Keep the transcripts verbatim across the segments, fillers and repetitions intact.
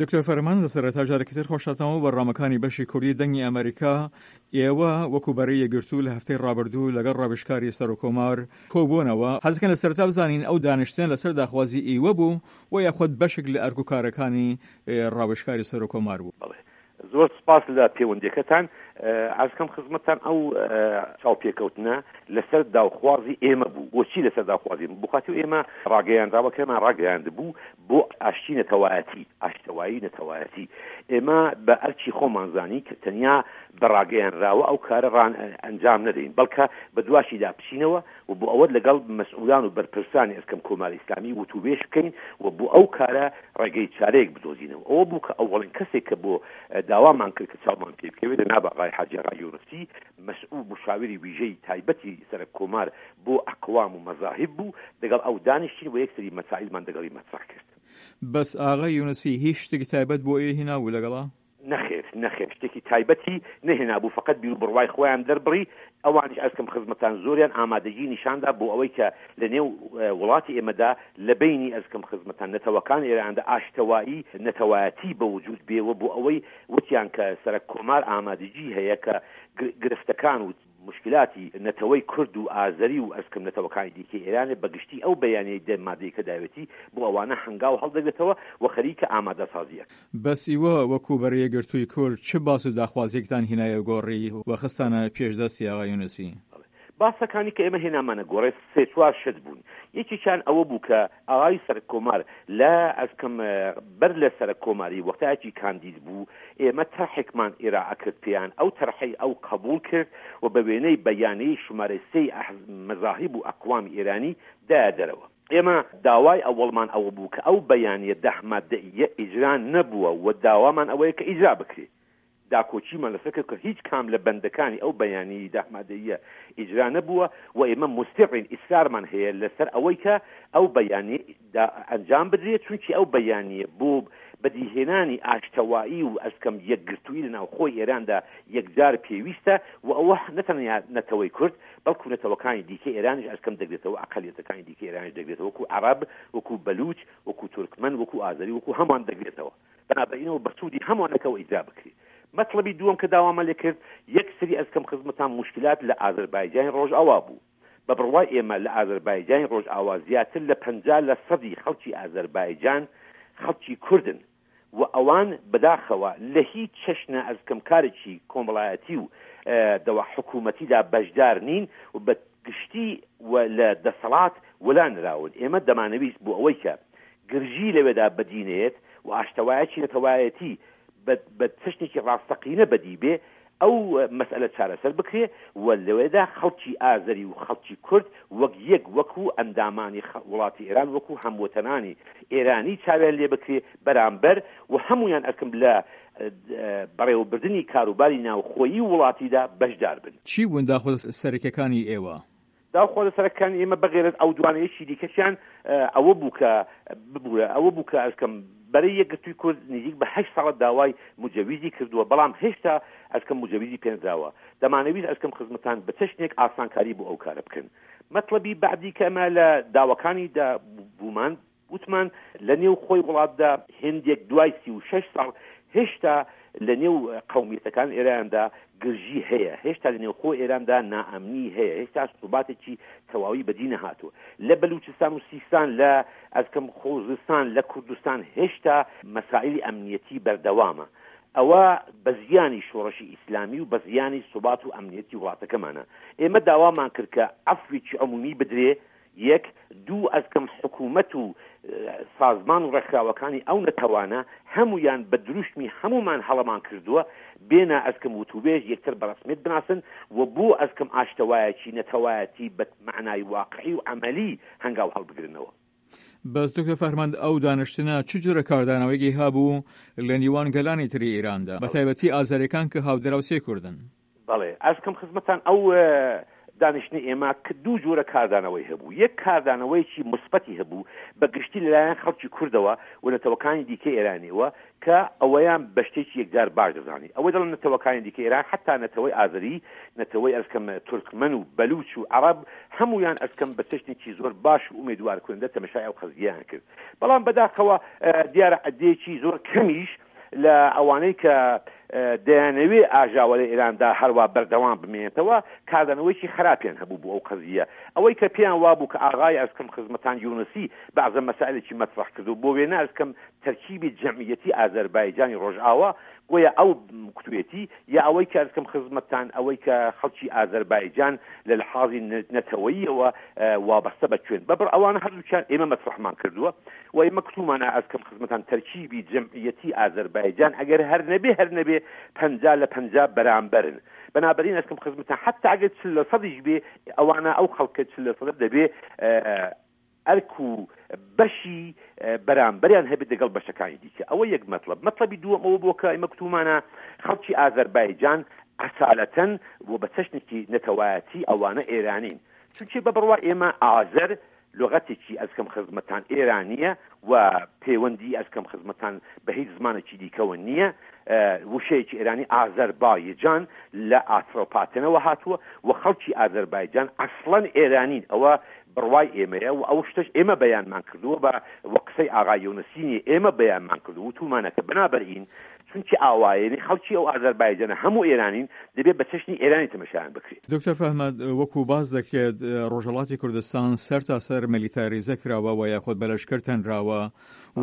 دکتۆر فەرمان، لە سەرەتا جارێکی تر خۆشتانەوە بەرنامەکانی بەشی کوردی دەنگی ئەمریکا. ئێوە وەکو بەرەی یەکگرتوو لە هەفتەی ڕابردوو لەگەڵ ڕاوێژکاری سەرۆککۆمار کۆبوونەوە. حەزەکەن لە سەرەتا بزانین ئەو دانیشتنە لەسەر داخوازی ئیوە بوو و یاخود بەشێک لە ئەرک و کارەکانی ڕاوێژکاری سەرۆککۆمار بوو؟ بەڵێ، زۆر سپاس لە پەیوەندیەکەتان. عەرزکەم خزمەتتان ئەو چاوپێکەوتنە لەسەر داوخوازی ئێمە بوو. بۆچی لەسەر داوخوازی بوو؟ بخاتی ئێمە ڕاگەیاندراوەکەمان ڕاگەیاندبوو بۆ ئاشتی نەتەوایەتی، ئاشتەوایی نەتەوایەتی. ئێمە بە ئەرکی خۆمان زانی کە تەنیا بە ڕاگەیانراوە ئەو کارە ڕان ئەنجام نەدەین، بەڵکە بە دواشیدا بچینەوە و بۆ ئەوە لەگەڵ مەسئولان و بەرپرسانی ئەسکەم کۆماری ئیسلامی وتوبێژ بکەین و بۆ ئەو کارە ڕێگەی چارەیەک بدۆزینەوە. ئەوە بوو کە ئەوەڵین کەسێک کە بۆ داوامان کرد کە چاومان پێ بکەوێت جەناب ئاغای حاجی ئاغای یونسی، مەسئول مشاوری ویژەی تایبەتی سەرەک کۆمار بۆ ئەقوام و مەزاهیب بوو، دەگەڵ ئەو دانیشتین و یەک سری مەسائیلمان دەگەڵی مەترەح کرد. بەس ئاغای یونسی هیچ شتێکی تایبەت بۆ ئێوەی هێنابوو لەگەڵا؟ نەخێر، نەخێر، شتێکی تایبەتی نەهێنابوو، فەقەت بیروبڕوای خۆیان دەربڕی. ئەوانیش ئەرکم خزمەتان زۆریان ئامادەگی نیشاندا بۆ ئەوەی کە لە نێو وڵاتی ئێمەدا لە بەینی ئەرکم خزمەتان نەتەوەکان ئێراندا ئاشتەوایی نەتەوایەتی بە وجود بێ و بۆ ئەوەی وتیان کە سەرەک کۆمار ئامادەگی هەیە کە گرفتەکان و مشکلاتی نەتەوەی کورد و ئازەری و ئەسکم نەتەوەکانی دیکەی ئێرانێ بە گشتی ئەو بەیانیەی دە مادەی کە داوێتی بۆ ئەوانە هەنگاو هەڵدەگرێتەوە و خەریکە ئامادەسازی ئەکات. بەس ئیوە وەکوو بەرەی یەکگرتووی کورد چ باس و داخوازیەکتان هینایە گۆڕی و خستانە پێش دەستی ئاغای یونسی؟ بەڵێ. باسەکانی کە ئێمە هێنامانە گۆڕێ سێ چوار شت بوون. یەکێکیان ئەوە بوو کە ئاغای سەرەک کۆمار لە ئەسکم بەر لە سەرەک کۆماری وەختایەکی کاندید بوو ئێمە تەرحێکمان ئیرائە کرد پێیان، ئەو تەرحەی ئەو قەبووڵ کرد و بە وێنەی بەیانەی شمارە سێی مەزاهیب و ئەقوامی ئێرانی دایە دەرەوە. ئێمە داوای ئەوەڵمان ئەوە بوو کە ئەو بەیانیە دە مادەییە ئیجرا نەبووە و داوامان ئەوەیە کە ئیجرا بکرێ. داکۆکیمان لەسەر کرد کە هیچ کام لە بەندەکانی ئەو بەیانیەی دە مادەییە ئیجرا نەبووە و ئێمە موسیڕین، ئیسرارمان هەیە لەسەر ئەوەی کە ئەو بەیانیە ئەنجام بدرێت، چونکی ئەو بەیانیە بۆ بەدیهێنانی ئاشتەوایی و ئەسکەم یەکگرتوویی لە ناوخۆی ئێراندا یەکجار پێویستە و ئەوە نەتەنیا نەتەوەی کورد بەڵکو نەتەوەکانی دیکەی ئێرانیش ئەسکەم دەگرێتەوە، ئەقەلیەتەکانی دیکەی ئێرانیش دەگرێتەوە، وەکو عەرەب، وەکو بەلوچ، وەکو تورکمەن، وەکو ئازەری، وەکو هەمووان دەگرێتەوە. بەنابەینەوە بە سوودی هەمووانەکەوە ئیجرا بکرێت. مەتڵەبی دووەم کە داوامان لێ کرد، یەک سری ئەسکەم خزمەتان موشکلات لە ئازەربایجانی ڕۆژئاوا بوو. بە بڕوای ئێمە لە ئازەربایجانی ڕۆژئاوا زیاتر لە پەنجا لە سەدی خەڵکی ئازەربایجان خەڵکی کوردن و ئەوان بەداخەوە لە هیچ چەشنە ئەسکەم کارێکی کۆمەڵایەتی و دەوا حکوومەتیدا بەشدار نین و بە گشتی و لە دەسەڵات وەلا نراون. ئێمە دەمانەویست بۆ ئەوەی کە گرژی لەوێدا بەدی نەیەت و ئاشتەوایەکی نەتەوایەتی بە چەشنێکی ڕاستەقینە بەدی بێ، ئەو مەسئەلە چارەسەر بکرێ و لەوێدا خەڵکی ئازەری و خەڵکی کورد وەک یەک، وەکوو ئەندامانی وڵاتی ئێران، وەکوو هەموەتەنانی ئێرانی چاویان لێ بکرێ بەرامبەر و هەموویان ئەرکم لە بەڕێوەبردنی کاروباری ناوخۆیی وڵاتیدا بەشدار بن. چی بوون داخوازە سەرەکیەکانی ئێوە؟ داخوازە سەرەکیەکانی ئێمە بەغێرەز ئەو دوانە یەکی دیکەشیان ئەوە بوو کە ببوورە ئەوە بوو کە ئەسکەم بەرەی یەکگرتووی کورد نزیک بە هەشت ساڵە داوای مجەویزی کردووە، بەڵام هێشتا ئەسکەم مجەویزی پێنراوە. دەمانەویست ئەسکەم خزمەتان بە چەشنێک ئاسانکاری بۆ ئەو کارە بکەن. مەتڵەبی بەعدی کە ئەمە لە داواکانی دا بوومان وتمان لە نێو خۆی وڵاتدا هێندێک دوای سی و شەش ساڵ هێشتا لە نێو قەومیەتەکان ئێراندا گرژی هەیە، هێشتا لە نێوخۆ ئێراندا نائەمنی هەیە، هێشتا سوباتێکی تەواوی بەدی نەهاتووە. لە بەلوچستان و سیستان، لە ئەزکەم خوزستان، لە کوردستان هێشتا مەسائلی ئەمنیەتی بەردەوامە. ئەوە بە زیانی شۆڕشی ئیسلامی و بە زیانی سوبات و ئەمنیەتی وڵاتەکەمانە. ئێمە داوامان کرد کە عەفوێکی عمومی بدرێ، یەک، دوو، ئەزکەم حکوومەت و سازمان و ڕێکخراوەکانی ئەو نەتەوانە هەموویان بە دروشمی هەموومان هەڵەمان کردووە بێنە ئەزکەم وتوبێژ یەکتر بە ڕەسمیەت بناسن و بۆ ئەزکەم ئاشتەوایەکی نەتەوایەتی بە مەعنای واقعی و عەمەلی هەنگاو هەڵبگرنەوە. بەس دکتۆر فەرمەند ئەو دانیشتنە چ جۆرە کاردانەوەیەکی هەبوو لە نیوان گەلانی تری ئێراندا بە تایبەتی ئازەریەکان کە هاودراوسێ کوردن؟ بەڵێ ئەرز کەم خزمەتان ئەو دانیشتنی ئێمە دوو جۆرە کاردانەوەی هەبوو. یەک کاردانەوەیەکی مثبەتی هەبوو بە گشتی لەلایەن خەڵکی کوردەوە و نەتەوەکانی دیکە ئێرانیەوە کە ئەوەیان بە شتێکی یەکجار باش دەزانی. ئەوەی دەڵێن نەتەوەکانی دیکە ئێران، حتا نەتەوەی ئازەری، نەتەوەی ئەرکەم تورکمەن و بەلوچ و عەرەب، هەمویان ئەرکەم بە چەشنێکی زۆر باش و ئومێدوار کنندە تەمەشای ئەو قەزیەیان کرد. بەڵام بەداخەوە دیارە عەدەیەکی زۆر کەمیش لە ئەوانەی کە دەیانەوێ ئاژاوە لە ئێراندا هەروە بەردەوام بمێنێتەوە کاردانەوەیکی خراپیان هەبوو بۆ ئەو قەزیە. ئەوەی کە پێیان وابوو کە ئاغای ئەرکەم خزمەتان یونسی بەعزە مەسائلێکی مەطرح کرد و بۆ وێنە ئەرکەم تەرکیبی جەمعیەتی ئازەربایجانی ڕۆژئاوا گۆیا ئەو کوتوێتی، یا ئەوەی کە ئەرکەم خزمەتان ئەوەی کە خەڵکی ئازەربایجان لە لحاظی نەتەوەییەوە وابەستە بە کوێن بەبڕ، ئەوانە هەردووکیان ئێمە مەطرحمان کردووە و ئێمە کتومانە ئەرکەم خزمەتان تەرکیبی جەمعیەتی ئازەربایجان ئەگەر هەر نەبێ هەر نەبێ پەنجا لە پەنجا بەرامبەرن. بەنابەرین ئەرکەم خزمەتان حتا ئەگەر چل لە سەدیش بێ ئەوانە ئەو خەڵکە چل لە سەدە دەبێ ئەرک و بەشی بەرامبەریان هەبێت لەگەڵ بەشەکانی دیکە. ئەوە یەک مەطلب. مەطلبی دووەم ئەوە بووە کە ئێمە کتومانە خەڵکی ئازەربایجان ئەسالەتەن و بە چەشنێکی نەتەوایەتی ئەوانە ئێرانین، چونکە بە بڕوا ئێمە ئازەر لغەتێکی ئەزکەم خزمەتان ئێرانیە و پەیوەندی ئەزکەم خزمەتان بە هیچ زمانێکی دیکەوە نییە. وشەیەکی ئێرانی ئازەربایجان لە ئاترۆپاتێنەوە هاتووە و خەڵکی ئازەربایجان ئەسڵەن ئێرانین. ئەوە بڕوای ئێمەیە و ئەو شتەش ئێمە بەیانمان کردووە بە وە قسەی ئاغای یونسینی ئێمە بەیانمان کردووە و تومانەکە بنابەرین چونکی ئاوایەنی خەڵکی ئەو ئازەربایجانە هەموو ئێرانین دەبێت بە چەشنی ئێرانی تەمەشایان بکرێت. دکتۆر فەهمەد، وەکو باس دەکرێت ڕۆژهەڵاتی کوردستان سەر تا سەر میلیتاریزە کراوە و یاخود بە لەشکر تەنراوە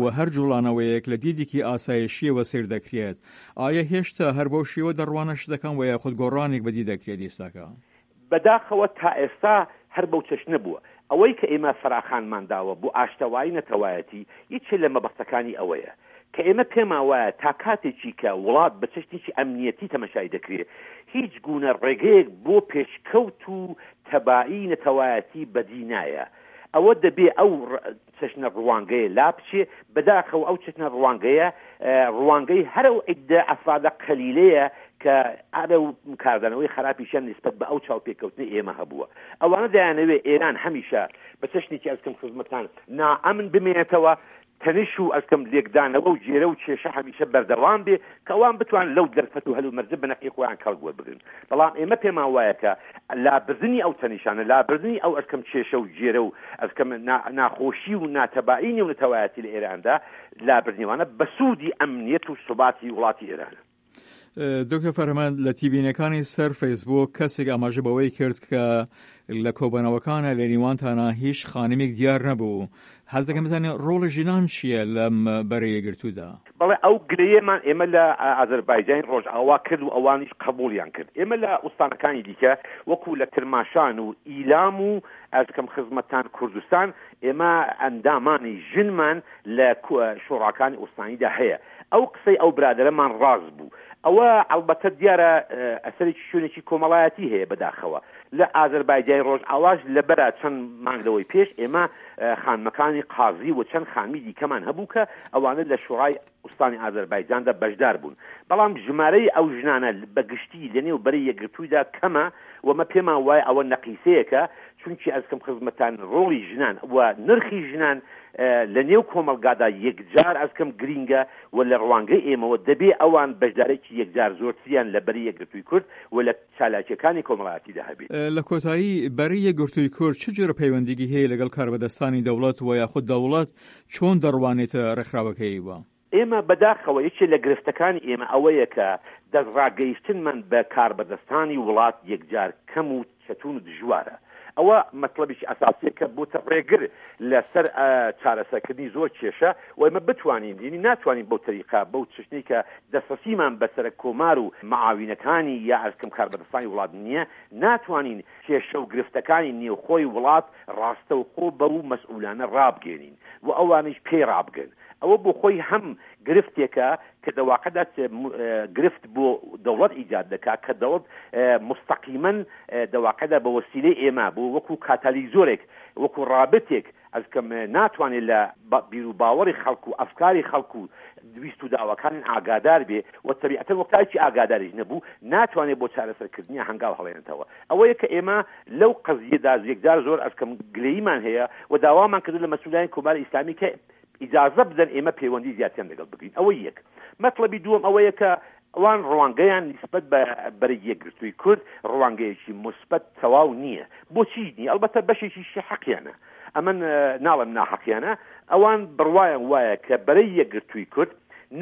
و هەر جوڵانەوەیەک لە دیدێکی ئاسایشیەوە سیر دەکرێت. ئایا هێشتا هەر بەو شێوە دەڕوانە شتەکان و یاخود گۆڕانێک بەدی دەکرێت ئێستاکە؟ بەداخەوە تا ئێستا هەر بەو چەشنە بووە. ئەوەی کە ئێمە فەراخانمان داوە بۆ ئاشتەوایی نەتەوایەتی یەکێ لە مەبەستەکانی ئەوەیە کە ئێمە پێمان وایە تا کاتێکی کە وڵات بە چەشنێکی ئەمنیەتی تەمەشای دەکرێت هیچ گوونە ڕێگەیەک بۆ پێشکەوت و تەبایی نەتەوایەتی بەدی نایە. ئەوە دەبێ ئەو چەشنە ڕوانگەیە لا بچێ. بەداخەوە ئەو چەشنە ڕوانگەیە ڕوانگەی هەر ئەو عیدە ئەفرادە قەلیلەیە کە ئارە و کاردانەوەی خراپیشیان نسبەت بە ئەو چاوپێکەوتنی ئێمە هەبووە. ئەوانە دەیانەوێ ئێران هەمیشە بە چەشنێکی ئەزکەم خزمەتان نائەمن بمێنێتەوە، تەنش و ئەزکەم لێکدانەوە و جێرە و کێشە هەمیشە بەردەوام بێ کە ئەوان بتوان لەو دەرفەت و هەلومەرجە بەنەقی خۆیان کەڵک وەربگرن. بەڵام ئێمە پێمان وایە کە لابردنی ئەو تەنیشانە، لابردنی ئەو ئەرکەم کێشە و جێرە و ئەرکەم ناخۆشی و ناتەبایی نێونەتەوایەتی لە ئێراندا، لابردنیوانە بە سوودی ئەمنیەت و سوباتی وڵاتی ئێرانە. دکتۆر فەرهەمەند، لە تیبینەکانی سەر فەیسبوک کەسێک ئاماژە بەوەی کرد کە لە کۆبەنەوەکانە لە نێوانتانە هیچ خانمێک دیار نەبوو. حەز دەکەم بزانین ڕۆڵی ژنان چییە لەم بەرەیە گرتوودا؟ بەڵێ، ئەو گلەیەمان ئێمە لە ئازەربایجانی ڕۆژئاوا کرد و ئەوانیش قبوڵیان کرد. ئێمە لە ئوستانەکانی دیکە وەکو لە کرماشان و ئیلام و ئەزکەم خزمەتان کوردستان ئێمە ئەندامانی ژنمان لە شۆڕاکانی ئوستانیدا هەیە. ئەو قسەی ئەو برادەرەمان ڕاست بوو. ئەوە ئەلبەتە دیارە ئەسەرێکی شوێنێکی کۆمەڵایەتی هەیە بەداخەوە. لە ئازەربایجانی ڕۆژئاواش لەبەرە چەند مانگ لەوەی پێش ئێمە خانمەکانی قازی و چەند خانمی دیکەمان هەبوو کە ئەوانە لە شوڕای ئوستانی ئازەربایجاندا بەشدار بوون. بەڵام ژمارەی ئەو ژنانە بەگشتی لەنێو بەرەی یەکگرتوویدا کەمە و مە پێمان وایە ئەوە نەقیسەیەکە، چونکی ئەزکەم خزمەتان ڕۆڵی ژنان و نرخی ژنان لە نێو کۆمەلگادا یەکجار ئەزکەم گرینگە و لە ڕوانگەی ئێمەوە دەبێ ئەوان بەشدارێکی یەکجار زۆرتریان لە بەری یەکگرتووی کورد و لە چالاکیەکانی کۆمەڵایەتیدا هەبێت. لە کۆتایی بەری یەکگرتووی کورد چ جۆرە پەیوەندیگی هەیە لەگەڵ کاربەدەستانی دەوڵەت و یاخود دەوڵەت چۆن دەڕوانێتە ڕێکخراوەکەیەوە؟ ئێمە بەداخەوە یەکێ لە گرفتەکانی ئێمە ئەوەیە کە دەستڕاگەیشتنمان بە کاربەدەستانی وڵات یەکجار کەم و چەتون و دژوارە. ئەوە مەطلبێکی ئەساسیە کە بۆتە ڕێگر لەسەر چارەسەرکردنی زۆر کێشە و ئێمە بتوانین، یعنی ناتوانین بەو تەریقا بەو چشتەی کە دەسترەسیمان بەسەر کۆمار و معاوینەکانی یا ئەرکەم کاربەدەستانی وڵات نییە، ناتوانین کێشە و گرفتەکانی نێوخۆی وڵات ڕاستەوخۆ بەو مەسئولانە ڕابگەێنین و ئەوانیش پێی ڕابگەن. ئەوە بۆ خۆی هەم گرفتێکە کە دەواقعدا گرفت بۆ دەوڵەت ئیجاد دەکات کە دەوڵەت مستەقیمەن دەواقعدا بە وەسیلەی ئێمە بۆ وەکو کاتالیزۆرێک وەکو ڕابتێک ئەزکەم ناتوانێت لە بیر و باوەڕی خەڵک و ئەفکاری خەڵک و ویست و داواکانی ئاگادار بێ و تەبیعەتەن وەختایەکی ئاگاداریش نەبوو ناتوانێت بۆ چارەسەرکردنی هەنگاو هەڵێنێتەوە. ئەوەیە کە ئێمە لەو قەزیەدا یەکجار زۆر ئەزکەم گلەییمان هەیە و داوامان کردو لە مەسئولانی کۆماری ئیسلامی کە ئیجازە بدەن ئێمە پەیوەندی زیاتریان لەگەڵ بگرین. ئەوە یەک. مەطلبی دووەم ئەوەیە کە ئەوان ڕوانگەیان نسبەت بە بەرەی یەکگرتووی کورد ڕوانگەیەکی مثبت تەواو نییە. بۆچی نییە؟ ئەلبەتە بەشێکیشی حەقیانە، ئەمن ناڵم ناحەقیانە، ئەوان بڕوایان وایە کە بەرەی یەکگرتووی کورد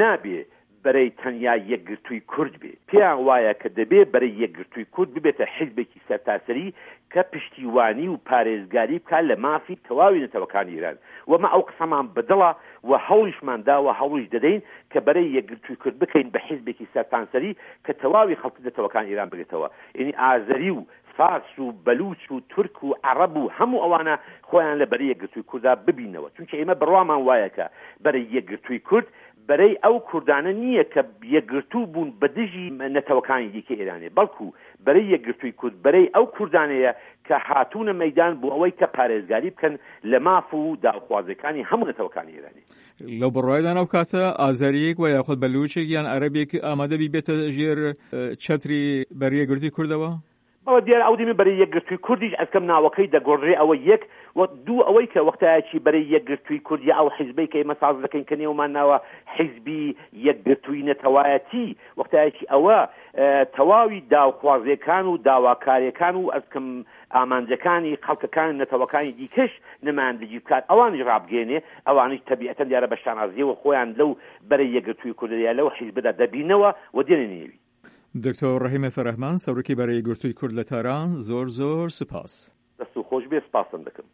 نابێ بەرەی تەنیا یەکگرتووی کورد بێ، پێیان وایە کە دەبێ بەرەی یەکگرتووی کورد ببێتە حیزبێکی سەرتاسەری کە پشتیوانی و پارێزگاری بکات لە مافی تەواوی نەتەوەکانی ئێران. وەمە ئەو قسەمان بەدڵە و هەوڵیشمان داوە هەوڵیش دەدەین کە بەرەی یەکگرتووی کورد بکەین بە حیزبێکی سەرتانسەری کە تەواوی خەڵکی نەتەوەکانی ئێران بگرێتەوە، یعنی ئازەری و فارس و بەلوچ و تورک و عەرەب و هەموو ئەوانە خۆیان لە بەرەی یەکگرتووی کورددا ببینەوە. چونکە ئێمە بڕوامان وایە کە بەرەی یەکگرتووی کورد بەرەی ئەو کوردانە نییە کە یەکگرتوو بوون بە دژی نەتەوەکانی دیکە ئێرانێ، بەڵکو بەرەی یەکگرتووی کورد بەرەی ئەو کوردانەیە کە هاتوونە مەیدان بۆ ئەوەی کە پارێزگاری بکەن لە ماف و داوخوازەکانی هەموو نەتەوەکانی ئێرانی. لەو بڕوایدان ئەو کاتە ئازەریەک و یاخود بەلوچێک یان عەرەبێک ئامادە بی بێتە ژێر چەتری بەرەی یەکگرتووی کوردەوە؟ بەڵێ دیارە ئەو دیمە بەرەی یەکگرتووی کوردیش ئەزکەم ناوەکەی دەگۆڕێ. ئەوە یەک و دوو ئەوەی کە وەختایەکی بەرەی یەکگرتووی کورد یا ئەو حیزبەی کە ئێمە ساز دەکەین کە نێومان ناوە حیزبی یەکگرتووی نەتەوایەتی، وەختایەکی ئەوە تەواوی داوخوازیەکان و داواکاریەکان و ئەزکەم ئامانجەکانی خەڵکەکان نەتەوەکانی دیکەش نمایندگی بکات ئەوانیش ڕابگەێنێ، ئەوانیش تەبیعەتەن دیارە بە شانازیەوە خۆیان لەو بەرەی یەکگرتووی کوردە یا لەو حیزبەدا دەبینەوە و دێنە نێوی. دکتۆر ڕەحیم فەرەهمەند، سەرۆکی بەرەی یەکگرتووی کورد لە تاران، زۆر زۆر سپاس. دەست و خۆش بێ، سپاسم دەکەم.